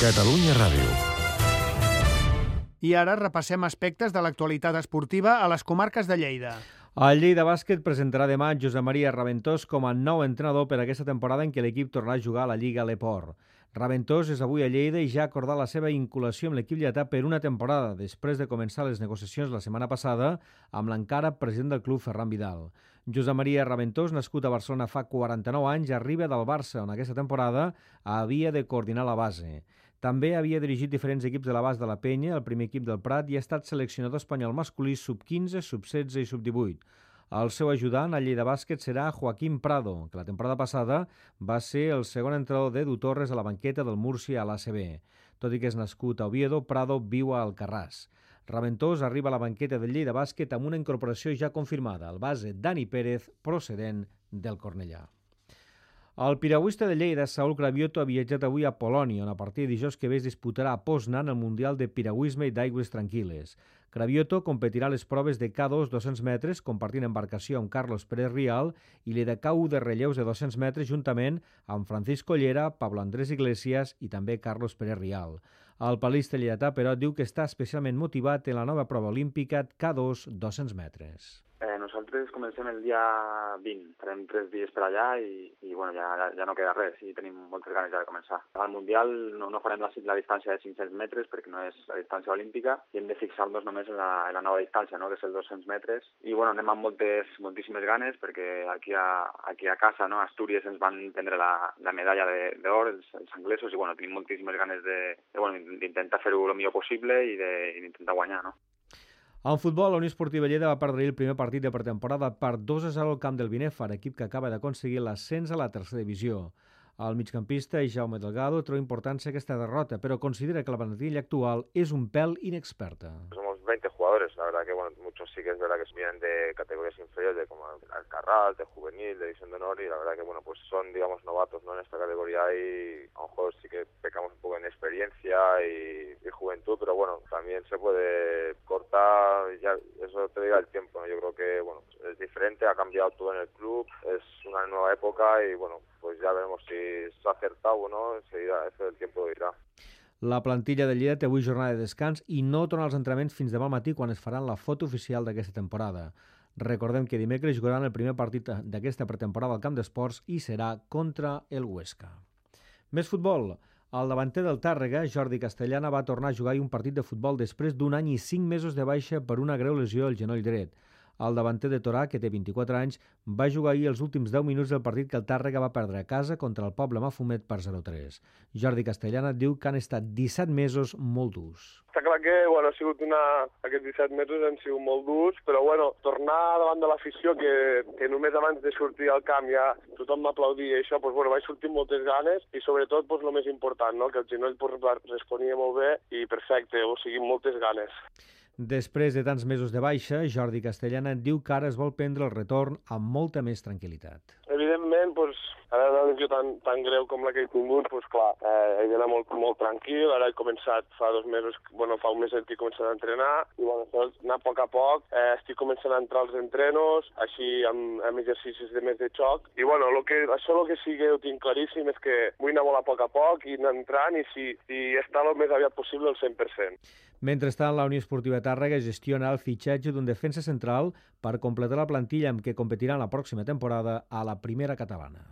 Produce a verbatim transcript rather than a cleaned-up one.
Catalunya Ràdio. I ara repassem aspectes de l'actualitat esportiva a les comarques de Lleida. El Lleida Bàsquet presentarà demà Josep Maria Raventós com a nou entrenador per a aquesta temporada en què l'equip tornarà a jugar a la Lliga L'Eport. Raventós és avui a Lleida i ja ha acordat la seva vinculació amb l'equip lletà per una temporada, després de començar les negociacions la setmana passada amb l'encara president del club, Ferran Vidal. Josep Maria Raventós, nascut a Barcelona fa quaranta-nou anys, arriba del Barça, on aquesta temporada havia de coordinar la base. També havia dirigit diferents equips de l'abast de la Penya, el primer equip del Prat, i ha estat seleccionador espanyol masculí sub quinze, sub setze i sub divuit. El seu ajudant al Lleida Bàsquet serà Joaquim Prado, que la temporada passada va ser el segon entrenador d'Edu Torres a la banqueta del Múrcia a l'A C B. Tot i que és nascut a Oviedo, Prado viu a Alcarràs. Raventós arriba a la banqueta del Lleida Bàsquet amb una incorporació ja confirmada, el base Dani Pérez, procedent del Cornellà. El piragüista de Lleida, Saúl Cravioto, ha viatjat avui a Polònia, on a partir de dijous que ve es disputarà a Poznan el Mundial de Piragüisme i d'Aigües Tranquil·les. Cravioto competirà a les proves de K dos dos-cents metres, compartint embarcació amb Carlos Pérez Rial, i le de K u de relleus de dos-cents metres, juntament amb Francisco Llera, Pablo Andrés Iglesias i també Carlos Pérez Rial. El palista lleidatà, però, diu que està especialment motivat en la nova prova olímpica K dos dos-cents metres. Eh, nosaltres comencem el dia vint, farem tres dies per allà i, i bueno, ja, ja no queda res i tenim moltes ganes ja de començar. Al Mundial no, no farem la, la distància de cinc-cents metres perquè no és la distància olímpica i hem de fixar-nos només en la, en la nova distància, no? Que és els dos-cents metres. I bueno, anem amb moltes, moltíssimes ganes perquè aquí a, aquí a casa, no? A Astúries ens van prendre la, la medalla d'or, els, els anglesos, i bueno, tenim moltíssimes ganes de, de, bueno, d'intentar fer-ho el millor possible i d'intentar guanyar, no? En futbol, la Unió Esportiva Lleida va perdre el primer partit de pretemporada per dos a zero al camp del Binèfar, equip que acaba d'aconseguir l'ascens a la tercera divisió. El migcampista Jaume Delgado treu importància a aquesta derrota, però considera que la plantilla actual és un pèl inexperta. Somos veinte jugadores, la verdad que bueno, muchos sí que es verdad que vienen de categorías inferiores, de como Alcarrás, de juvenil, de división de honor, y la verdad que bueno, pues son, digamos, novatos, ¿no? En esta categoría y a lo mejor sí que pecamos un poco en experiencia y, y juventud, pero bueno, también se puede cortar, ya eso te diga el tiempo, ¿no? Yo creo que bueno, es diferente, ha cambiado todo en el club, es una nueva época y bueno, pues ya veremos si s'ha acertat o no, enseguida, eso el tiempo dirà. La plantilla de Lleida té avui jornada de descans i no torna als entrenaments fins demà al matí quan es faran la foto oficial d'aquesta temporada. Recordem que dimecres jugaran el primer partit d'aquesta pretemporada al camp d'esports i serà contra el Huesca. Més futbol. El davanter del Tàrrega, Jordi Castellana, va tornar a jugar un partit de futbol després d'un any i cinc mesos de baixa per una greu lesió al genoll dret. El davanter de Torà, que té vint-i-quatre anys, va jugar ahir els últims deu minuts del partit que el Tàrrega va perdre a casa contra el Poble Mafumet per zero a tres. Jordi Castellana diu que han estat disset mesos molt durs. Està clar que bueno, ha sigut una... aquests disset mesos han sigut molt durs, però bueno, tornar davant de l'afició, que, que només abans de sortir al camp ja tothom m'aplaudia i això, doncs, bueno, vaig sortir amb moltes ganes i sobretot doncs, el més important, no? Que el genoll doncs, responia molt bé i perfecte, o sigui, moltes ganes. Després de tants mesos de baixa, Jordi Castellana diu que ara es vol prendre el retorn amb molta més tranquil·litat. Evidentment, doncs, ara una lesió tan, tan greu com la que he tingut, doncs clar, eh, he d'anar molt, molt tranquil. Ara he començat fa dos mesos, bueno, fa un mes que he començat a entrenar, i bueno, anar a poc a poc, eh, estic començant a entrar als entrenos, així amb, amb exercicis de més de xoc, i bueno, lo que, això el que sí que ho tinc claríssim és que vull anar molt a poc a poc i anar entrant i si, si està el més aviat possible el cent per cent. Mentrestant, la Unió Esportiva Tàrrega gestiona el fitxatge d'un defensa central per completar la plantilla amb què competiran la pròxima temporada a la primera catalana.